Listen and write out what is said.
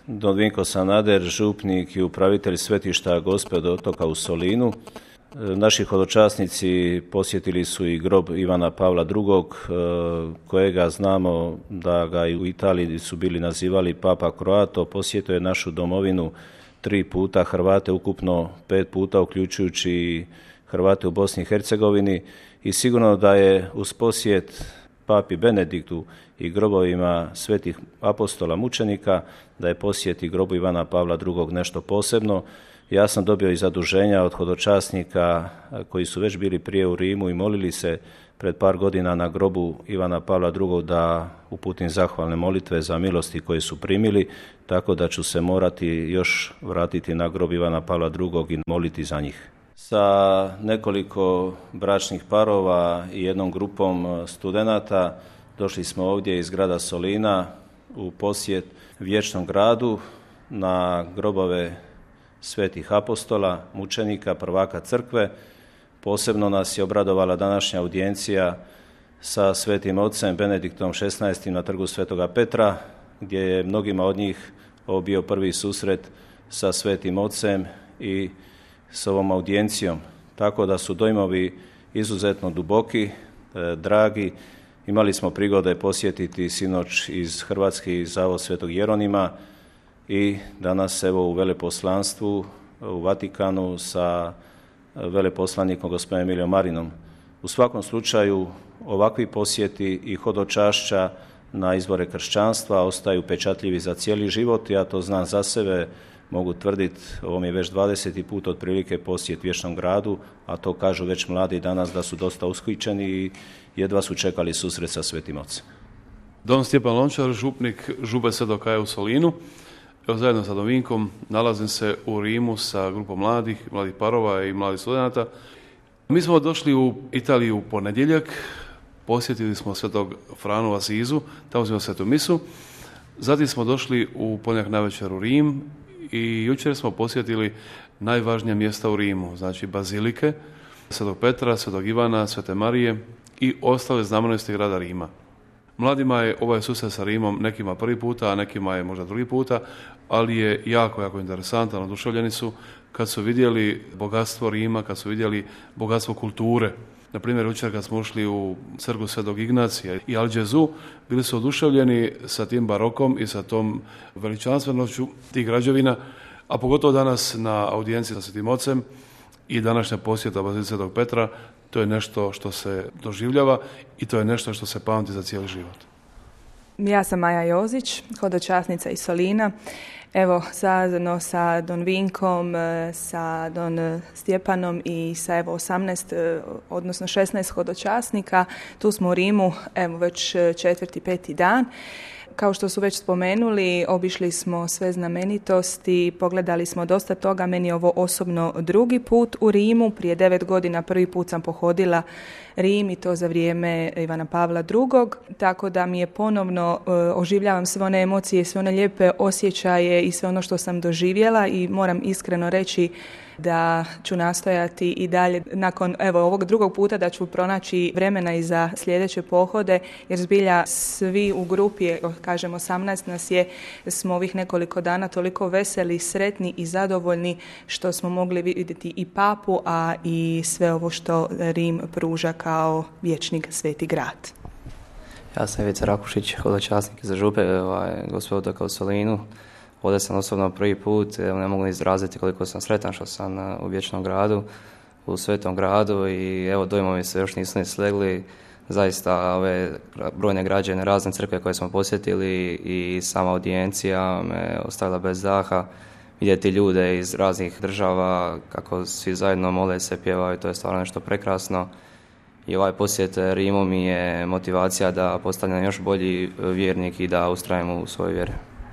Don Vinko Sanader, župnik i upravitelj svetišta Gospe od otoka u Solinu. Naši hodočasnici posjetili su i grob Ivana Pavla II, kojega znamo da ga i u Italiji su bili nazivali Papa Croato. Posjetio je našu domovinu 3 puta, Hrvate ukupno 5 puta, uključujući i Hrvate u Bosni i Hercegovini. I sigurno da je uz posjet Papi Benediktu i grobovima svetih apostola mučenika, da je posjet i grobu Ivana Pavla II nešto posebno. Ja sam dobio i zaduženja od hodočasnika koji su već bili prije u Rimu i molili se pred par godina na grobu Ivana Pavla II da uputim zahvalne molitve za milosti koje su primili, tako da ću se morati još vratiti na grob Ivana Pavla II i moliti za njih. Sa nekoliko bračnih parova i jednom grupom studenata došli smo ovdje iz grada Solina u posjet Vječnom gradu na grobove svetih apostola, mučenika, prvaka crkve. Posebno nas je obradovala današnja audijencija sa svetim ocem Benediktom XVI na trgu Svetoga Petra, gdje je mnogima od njih ovo bio prvi susret sa svetim ocem i s ovom audijencijom. Tako da su dojmovi izuzetno duboki, dragi. Imali smo prigode posjetiti sinoć iz Hrvatski zavod Svetog Jeronima i danas evo u veleposlanstvu u Vatikanu sa veleposlanikom gospodinom Emilijom Marinom. U svakom slučaju ovakvi posjeti i hodočašća na izvore kršćanstva ostaju pečatljivi za cijeli život. Ja to znam za sebe, mogu tvrditi, ovo mi je već 20. put otprilike posjet Vječnom gradu, a to kažu već mladi danas da su dosta ushićeni i jedva su čekali susret sa Svetim Ocem. Don Stjepan Lončar, župnik Župe Svetog Kaja u Solinu. Evo, zajedno sa Don Vinkom nalazim se u Rimu sa grupom mladih parova i mladih studenata. Mi smo došli u Italiju u ponedjeljak, posjetili smo Svetog Franu u Asizu, tamo smo svetu misu. Zatim smo došli u ponedjeljak navečer u Rim i jučer smo posjetili najvažnija mjesta u Rimu, znači bazilike Svetog Petra, Svetog Ivana, Svete Marije i ostale znamenitosti grada Rima. Mladima je ovaj susret sa Rimom nekima prvi puta, a nekima je možda drugi puta, ali je jako interesantan, oduševljeni su kad su vidjeli bogatstvo Rima, kad su vidjeli bogatstvo kulture. Na primjer, jučer kad smo ušli u crkvu Svetog Ignacija i Algezu, bili su oduševljeni sa tim barokom i sa tom veličanstvenošću tih građevina, a pogotovo danas na audijenciji sa Svetim Ocem i današnja posjeta bazilici Svetog Petra, to je nešto što se doživljava i to je nešto što se pamti za cijeli život. Ja sam Maja Jozić, hodočasnica iz Solina. Evo, zajedno sa Don Vinkom, sa Don Stjepanom i sa 18, odnosno 16 hodočasnika, tu smo u Rimu, evo već 4., 5. dan. Kao što su već spomenuli, obišli smo sve znamenitosti, pogledali smo dosta toga. Meni je ovo osobno drugi put u Rimu. Prije 9 godina prvi put sam pohodila Rim i to za vrijeme Ivana Pavla II. Tako da mi je ponovno oživljavam sve one emocije, sve one lijepe osjećaje i sve ono što sam doživjela i moram iskreno reći da ću nastojati i dalje nakon ovog drugog puta da ću pronaći vremena i za sljedeće pohode, jer zbilja svi u grupi, kažem 18 nas je, smo ovih nekoliko dana toliko veseli, sretni i zadovoljni što smo mogli vidjeti i papu, a i sve ovo što Rim pruža kao vječni sveti grad. Ja sam Ivica Rakušić, hodočasnik za Župe Gospe otoka u Solinu. Ovdje sam osobno prvi put, ne mogu izraziti koliko sam sretan što sam u Vječnom gradu, u Svetom gradu i evo dojmovi se još nisu ni slegli. Zaista ove brojne građane, razne crkve koje smo posjetili i sama audijencija me ostavila bez daha. Vidjeti ljude iz raznih država kako svi zajedno mole se, pjevaju, to je stvarno nešto prekrasno. I ovaj posjet Rimu mi je motivacija da postanem još bolji vjernik i da ustrajem u svojoj vjeri.